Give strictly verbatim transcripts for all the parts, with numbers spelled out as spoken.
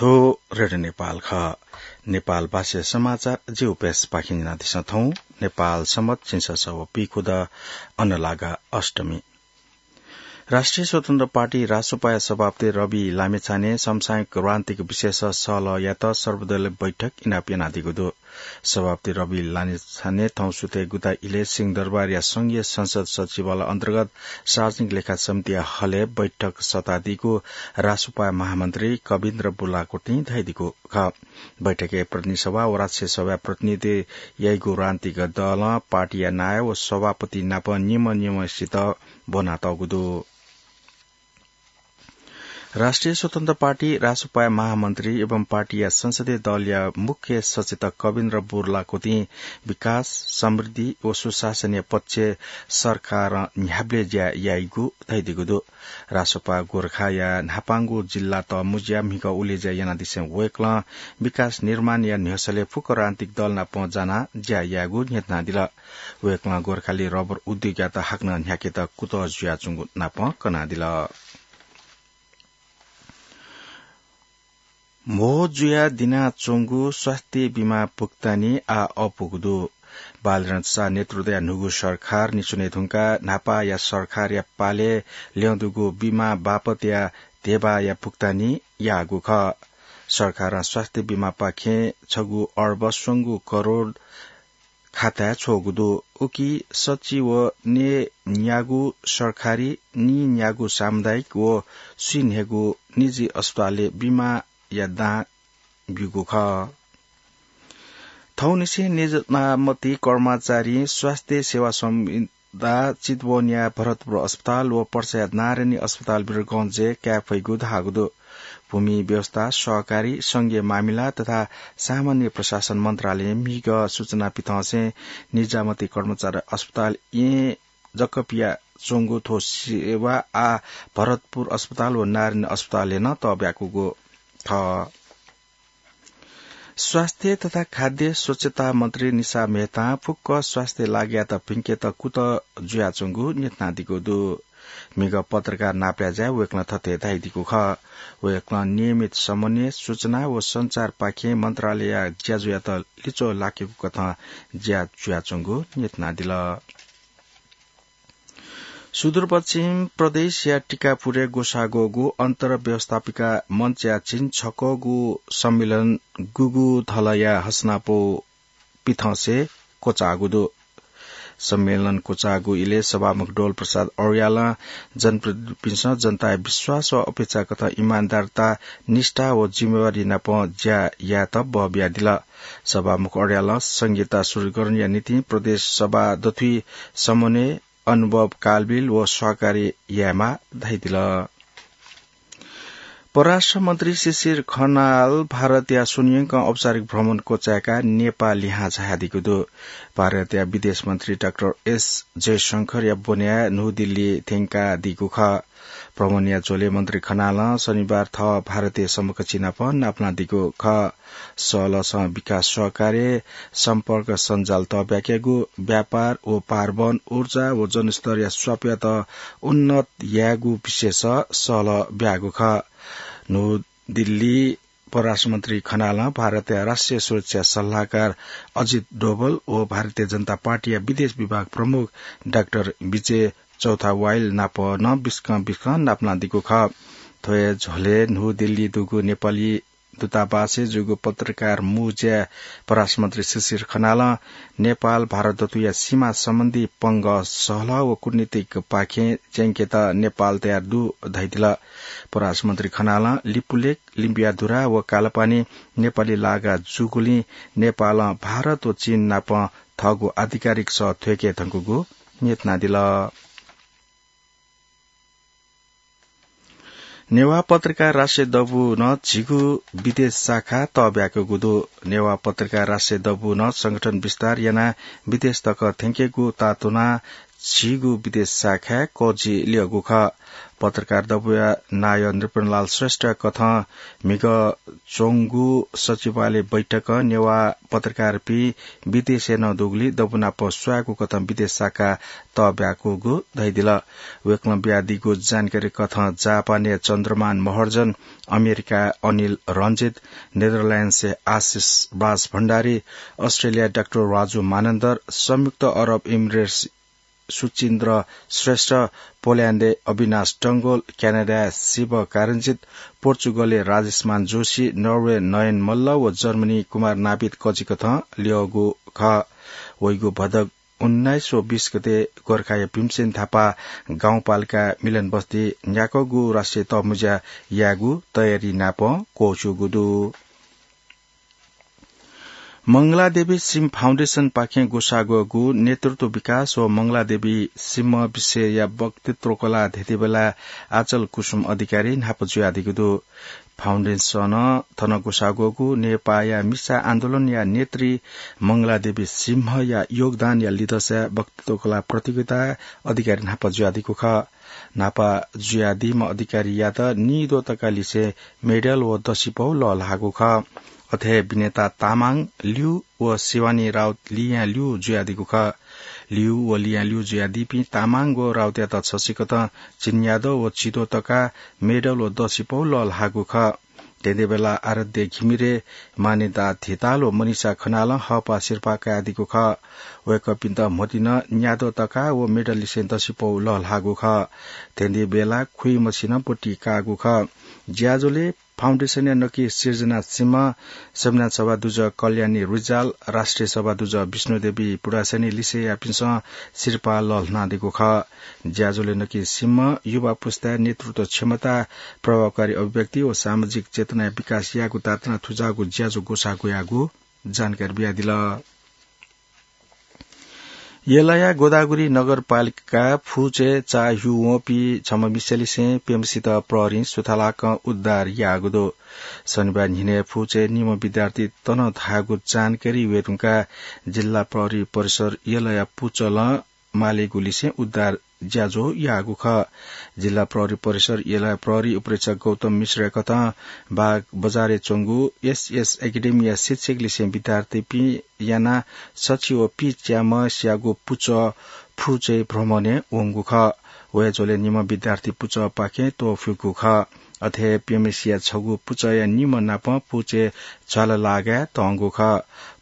यो रेडियो नेपाल खः। नेपाल भाषा समाचार ज्यू प्रेसपाखें न्यनादिसँ थौं। नेपाल सम्बत झिंछसः व पीखुदँ अन्नलागा अष्टमी। राष्ट्रिय स्वतन्त्र पार्टी रासोपाया सभापति रवि लामिछाने समसामयिक राजनीतिक विषयस सहलह यायेत सर्वदलीय बैठक इनाप यानादीगु दु। सभापति रवि लामिछाने थौं सुथय् गुता इलय् सिंहदरबारया संघीय संसद सचिवालय अन्तर्गत सार्वजनिक लेखा समितिया हलय् बैठक सःतादीगु रासोपाया महामन्त्री कविन्द्र बुर्लाकोटीं धयादीगु खः। बैठकय् प्रतिनिधि सभा व राष्ट्रिय सभाया प्रतिनिधि याइगु राजनीतिक दलं पार्टीया नायः व सभापति नाप निम्ह निम्हसित ब्वनातःगु दु। राष्ट्रिय स्वतन्त्र पार्टी रासोपाया महामन्त्री एवं पार्टीया संसदीय दलया मुख्य सचेतक कविन्द्र बुर्लाकोटीं विकास, समृद्धि व सुशासनया पक्षय् सरकारं न्ह्याबलें ज्या याइगु धयादीगु दु। रासोपा गोरखाया न्हापांगु जिल्ला तःमुँज्या म्हिगः उलेज्या यानादिसें वय्कलं विकास निर्माणया न्ह्यसलय् फुक्क राजनीतिक दल नाप जानाः ज्या यायेगु न्ह्यथनादिल। वय्कलं गोरखाली रबर उद्योगयात हाकनं न्ह्याकेत कुतः जुयाच्वंगु नाप कनादिल। म्हो जुयाः दिनाच्वंगु स्वास्थ्य बिमा भुक्तानी आः अःपुगु दु। बालरञ्च शाह नेतृत्वया न्हूगु सरकार निच्वने धुंकाः न्हापाया सरकारया पालय् ल्यं दुगु बिमा बापतया धेबाया भुक्तानी याःगु खः। सरकारं स्वास्थ्य बिमापाखें छगू अर्ब स्वंगू करोड खाताय् छ्वःगु दु। उकी सच्छि व नये न्यागू सरकारी, नीन्यागू सामुदायिक व स्वीन्हय्गू निजी अस्पतालय् बिमाया दां ब्यूगु खः। थौंनिसें निजामती कर्मचारीं स्वास्थ्य सेवा संविदा चितवनया भरतपुर अस्पताल व पर्साया नारायणी अस्पताल वीरगंजय् काये फइगु धाःगु दु। भूमि व्यवस्था, सहकारी, संघीय मामिला तथा सामान्य प्रशासन मन्त्रालयं म्हिगः सूचना पिथंसें निजामती कर्मचारी अस्पताल येँ जक पियाच्वंगु थ्व सेवा आः भरतपुर अस्पताल व नारायणी अस्पतालय् नं तःब्याकूगु खः। स्वास्थ्य तथा खाद्य स्वच्छता मन्त्री निशा मेहतां फुक्क स्वास्थ्य लागःयात भिंकेत कुतः जुयाच्वंगु न्ह्यथनादीगु दु। म्हिगः पत्रकार नापलाय् ज्याय् वय्कलं थथे धयादीगु खः। वय्कलं नियमित समन्वय, सूचना व सञ्चारपाखें मन्त्रालयया ज्याझ्वःयात लिच्वः लाकेगु कथं ज्या जुयाच्वंगु न्ह्यथनादिल। सुदूरपश्चिम प्रदेशया टिकापुरय् ग्वसाः ग्वःगु अन्तर्व्यवस्थापिका मञ्चया झिंछकःगु सम्मेलन गुगु धलया हसनापौ पिथंसे क्वचाःगु दु। सम्मेलन क्वचाःगु इलय् सभामुख डोल प्रसाद अर्यालं जनप्रतिनिधिपिन्सं जनताया विश्वास व अपेक्षा कथं इमानदारता, निष्ठा व जिम्मेवारी नाप ज्या यायेत बः बियादिल। सभामुख अर्यालं संघीयता सुदृढीकरणया निंतिं प्रदेश सभा दथुइ समन्वय, अनुभव कालबिल व सहकारी यायेमाः धयादिल। परराष्ट्र मन्त्री शिशिर खनाल भारतया स्वन्हुयंकं औपचारिक भ्रमण क्वचाय्काः नेपाः लिहां झायादीगु दु। भारतया विदेश मन्त्री डाक्टर एस जयशंकरया ब्वनेया न्हू दिल्ली थ्यंकादीगु खः। भ्रमणया झ्वलय् मन्त्री खनालं शनिबार थः भारतीय समकक्षी नाप नापलानादीगु खः। सहलहसं विकास सहकार्य, सम्पर्क सञ्जाल तःब्याकेगु, व्यापार व पारवहन, ऊर्जा व जनस्तरया स्वापयात उन्नत यायेगु विषयस सहलह ब्याःगु खः। न्हू दिल्ली परराष्ट्र मन्त्री खनालं भारतया राष्ट्रिय सुरक्षा सल्लाहकार अजित डोभल व भारतीय जनता पार्टीया विदेश विभाग प्रमुख डाक्टर विजय चौथावाइल नाप नं बिस्कं बिस्कं नापलानादीगु खः। थ्व हे झ्वलय् न्हू दिल्ली दुगु नेपाली दूतावासय् जूगु पत्रकार मुँज्याय् परराष्ट्र मन्त्री शिशिर खनालं नेपाल भारत दथुया सीमा सम्बन्धी पंगः सहलह व कूटनीतिक पाखें च्यंकेत नेपाल तयार दु धयादिल। परराष्ट्र मन्त्री खनालं लिपुलेक, लिम्पियाधुरा व कालापानी नेपाली लागा जूगुलिं नेपालं भारत व चीन नाप थःगु आधिकारिक सः थ्वय्के धुंकूगु न्ह्यथनादिल। नेवाः पत्रकार राष्ट्रिय दबूं झिगू विदेश शाखा तःब्याकूगु दु। नेवाः पत्रकार राष्ट्रिय दबूं संगठन विस्तार यानाः विदेश तक थ्यंकेगु तातुनाः झीगु विदेश शाखाय् कर्जि ल्यःगु खः। पत्रकार दबूया नायः नृपनलाल श्रेष्ठ कथं म्हिगः च्वंगु सचिवालय बैठक नेवाः पत्रकारपिं विदेशय् नं दुगुलिं दबू नाप स्वायेगु कथं विदेश शाखा तःब्याकूगु धयादिल। वय्कलं बियादीगु जानकारी कथं जापानय् चन्द्रमान महर्जन, अमेरिकाय् अनिल रञ्जित, नेदरल्याण्डसय् आशिष राज भण्डारी, अस्ट्रेलियाय् डाक्टर राजु मानन्धर, संयुक्त अरब इमिरेट्स सुचिन्द्र श्रेष्ठ, पोल्याण्डय् अविनाश डंगोल, क्यानाडाय् शिव कारञ्जित, पोर्चुगलय् राजेशमान जोशी, नर्वे नयन मल्ल व जर्मनी कुमार नाभित कर्जि कथं ल्यःगु खः। वइगु भदौ उन्नाइस व बीस गते गोर्खाया भीमसेन थापा गाउँपालिका मिलन बस्ती न्याकःगु राष्ट्रिय तःमुँज्या यायेगु तयारी नाप क्वःछ्यूगु दु। मंगलादेवी सिंह फाउन्डेशनपाखें ग्वसाः ग्वःगु नेतृत्व विकास व मंगलादेवी सिंह विषयया वक्तृत्व कला धेंधेंबेला आचल कुसुम अधिकारी न्हापा जुयादीगु दु। फाउन्डेशनं थन ग्वसाः ग्वःगु नेपाःया मिसा आन्दोलनया नेत्री मंगलादेवी सिंहया योगदानया लिधंसाय् वक्तृत्व कला प्रतियोगिताय् अधिकारी न्हापा जुयादीगु खः। न्हापा जुयादीम्ह अधिकारीयात नीद्वः तका लिसें मेडल व दसिपौ लःल्हाःगु खः। अथे हे विनेता तामाङ ल्यू व शिवानी राउत लियां ल्यू जुयादीगु खः। ल्यू व लियां ल्यू जुयादीपिं तामाङ व राउतयात छसिकथं चिन्याद्वः व चिद्वः तका मेडल व दसिपौ लःल्हाःगु खः। धेंधेंबेला आराध्य घिमिरे, मान्यता धिताल व मनिषा खनालं हःपाः सिरपाः कयादीगु खः। वय्कःपिन्त म्होतिं न्याद्वः तका व मेडल लिसें दसिपौ लःल्हाःगु खः। धेंधेंबेला खुइमसिनं ब्वति काःगु खः। ज्याझ्वलय् फाउन्डेशनया नकि सिर्जना सिंह, संविधान सभा दुजः कल्याणी रिजाल, राष्ट्रिय सभा दुजः विष्णुदेवी पुडासनी लिसेयापिन्सं सिरपाः लःल्हानादीगु खः। ज्याझ्वलय् नकि सिंह युवा पुस्ताय् नेतृत्व क्षमता, प्रभावकारी अभिव्यक्ति व सामाजिक चेतनाया विकास यायेगु ताःतना थुजाःगु ज्याझ्वः ग्वसाः ग्वयागु जानकारी बियादिल। यलया गोदावरी नगरपालिका फुचय् चाःह्यू वंपिं छम्ह मिसालिसें प्यम्हसित प्रहरीं सुथांलाकं उद्धार याःगु दु। शनिबार न्हिनय् फुचय् निम्ह विद्यार्थी तन धाःगु जानकारी वयेधुंकाः जिल्ला प्रहरी परिसर यलया पुचलं मालेगु लिसें उद्धार ज्याझ्वः याःगु खः। जिल्ला प्रहरी परिसर यलया प्रहरी उपरीक्षक गौतम मिश्रया कथं बाग बजारय् च्वंगु एसएस एकेडेमीया शिक्षक लिसें विद्यार्थीपिं यानाः सछि व पीच्याम्हस्यागु पुचः फुचय् भ्रमणय् वंगु खः। वय् झ्वलय् निम्ह विद्यार्थी पुचःपाखें त्वःफिगु खः। अथे हे प्यम्हसिया छगू पुचःया निम्ह नाप फुचय् झ्वाला लागाय् तंगु खः।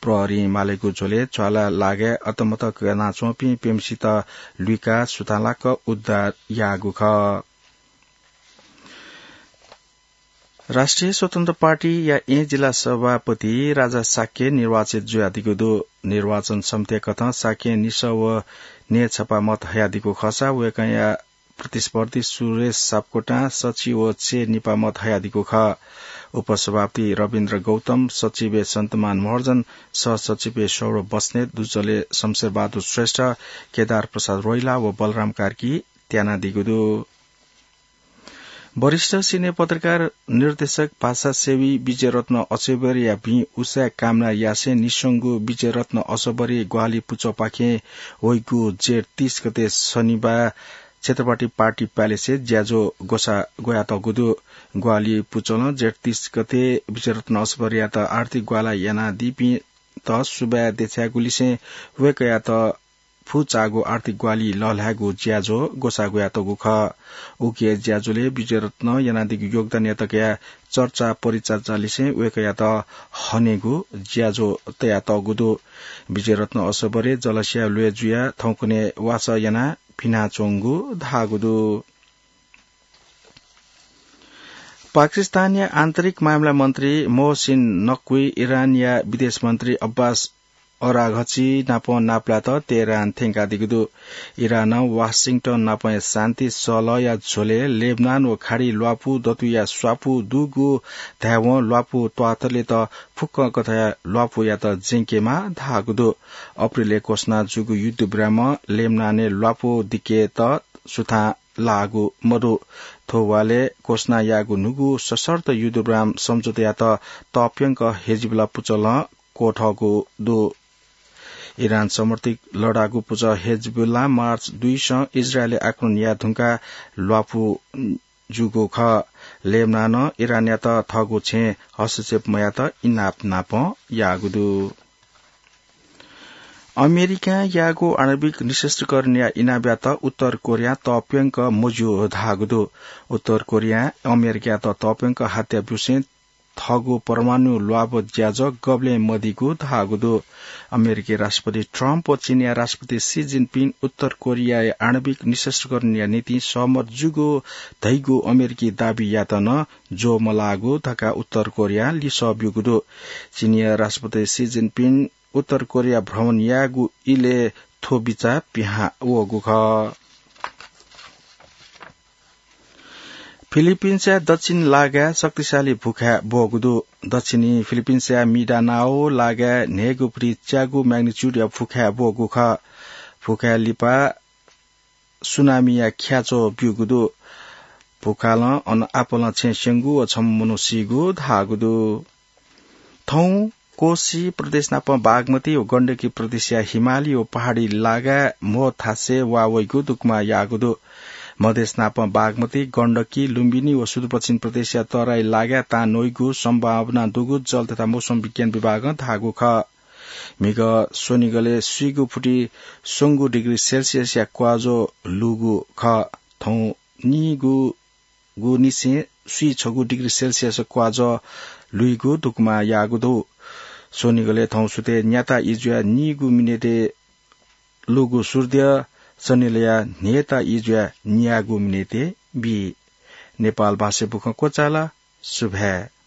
प्रहरीं मालेगु झ्वलय् झ्वाला लागाय् अतमत कनाच्वंपिं प्यम्हसित लुइकाः सुथांलाक उद्धार याःगु खः। राष्ट्रिय स्वतन्त्र पार्टीया येँ जिल्ला सभापति राजा शाक्य निर्वाचित जुयादीगु दु। निर्वाचन समितिया कथं शाक्यं निसः व न्हय्‌छपा मत हयादीगु खःसा वय्‌कःया प्रतिस्पर्धी सुरेश सापकोटां सछि व छय् निपा मत हयादीगु खः। उपसभापति रविन्द्र गौतम, सचिवय् सन्तमान महर्जन, सहसचिवय् सौरभ बस्नेत, दुजलय् शमशेरबहादुर श्रेष्ठ, केदार प्रसाद रोइला व बलराम कार्की त्यानादीगु दु। वरिष्ठ सिने पत्रकार, निर्देशक, भाषासेवी विजयरत्न असोबरीया भिं उसाँय् कामना यासें निस्वंगु विजयरत्न असोबरी ग्वाहालि पुचःपाखें वइगु जेठ तीस गते शनिबार छत्रपति पार्टी प्यालेसय् ज्याझ्वः ग्वसाः ग्वयातःगु दु। ग्वाहालि पुचलं जेठ तीस गते विजयरत्न असोबरीयात आर्थिक ग्वाहालि यानादीपिन्त सुभाय् देछायेगु लिसें वय्‌कःयात फुचाःगु आर्थिक ग्वाहालि लःल्हायेगु ज्याझ्वः ग्वसाः ग्वयातःगु खः। उकी ज्याझ्वलय् विजयरत्नं यानादीगु योगदानयात कयाः चर्चा परिचर्चा लिसें वय्‌कःयात हनेगु ज्याझ्वः तयातःगु दु। विजयरत्न असोबरी जलस्याय् ल्वय् जुयाः थौंकन्हय् वासः यानाः फिनाच्वंगु धाःगु दु। पाकिस्तानया आन्तरिक मामिला मन्त्री मोहसिन नक्वी इरानया विदेश मन्त्री अब्बास अराघची नाप नापलात तेहरान थ्यंकादीगु दु। इरानं वाशिंटन नापया शान्ति सलहया झ्वलय् लेबनान व खाडी ल्वापु दतुया स्वापू दुगु धायेवं ल्वापु त्वाःतलेत फुक्कं कथंया ल्वापुयात ज्यंकेमाः धाःगु दु। अप्रिलय् घोषणा जूगु युद्धविरामं लेबनानय् ल्वापु दिकेत सुथां लाःगु मदु। थ्व वालय् घोषणा याःगु न्हूगु सशर्त युद्धविराम सम्झौतायात तप्यंक हिजबुल्ला पुचलं क्वथःगु दु। इरान समर्थित लडाकु पुचः हेजबुल्ला मार्च दुइसं इजरायलय् आक्रमण याये धुंकाः ल्वापु जूगु खः। लेबनानं इरानयात थःगु छेँय् हस्तक्षेप मयायेत इनाप नापं याःगु दु। अमेरिकां याःगु आणविक निशस्त्रीकरणया इनापयात उत्तर कोरियां तःप्यंक मज्यू धाःगु दु। उत्तर कोरियां अमेरिकायात तःप्यंक हत्या ब्यूसें थःगु परमाणु ल्वाभ ज्याझ्वः गबलें मदीगु धाःगु दु। अमेरिकी राष्ट्रपति ट्रम्प व चीनया राष्ट्रपति सी जिनपिङ उत्तर कोरियाया आणविक निशस्त्रीकरणया निंतिं सहमत जूगु धइगु अमेरिकी दाबी यायेत नं ज्वः मलाःगु धकाः उत्तर कोरियां लिसः ब्यूगु दु। चीनया राष्ट्रपति सी जिनपिङ उत्तर कोरिया भ्रमण याःगु इलय् थ्व बिचाः पिहां वःगु खः। फिलिपिन्सया दक्षिण लागाय् शक्तिशाली भुखाय् ब्वःगु दु। दक्षिणी फिलिपिन्सया मिडानाओ लागाय् न्हय्गू फुति च्यागू magnitude या भुखाय् ब्वःगु खः। भुखाय् लिपा सुनामीया ख्याच्वः ब्यूगु दु। भुखालं अन आपालं छेँ स्यंगु व छम्ह मनू सीगु धाःगु दु। थौं कोशी प्रदेश नाप बागमती व गण्डकी प्रदेशया हिमाली व पहाडी लागाय् म्हो थासय् वा वइगु दुकमा याःगु दु। मधेस नाप बागमती, गण्डकी, लुम्बिनी व सुदूरपश्चिम प्रदेशया तराई लागाय् तां नइगु सम्भावना दुगु जल तथा मौसम विज्ञान विभागं धाःगु खः। म्हिगः स्वनिगलय् स्वीगू फुति स्वंगू डिग्री सेल्सियसया क्वाजो लूगु खः। थौं नीगू गु निसें स्वीछगू डिग्री सेल्सियस क्वाजः लुइगु दुकमा याःगु दु। स्वनिगलय् थौं सुथय् न्याता इजुया नीगु मिनेटय् लुगु सूर्य सनिलया न्हेता इजुया न्यागू मिनेटय् बी। नेपाल भाषा बुखं क्वचाल। सुभाय्।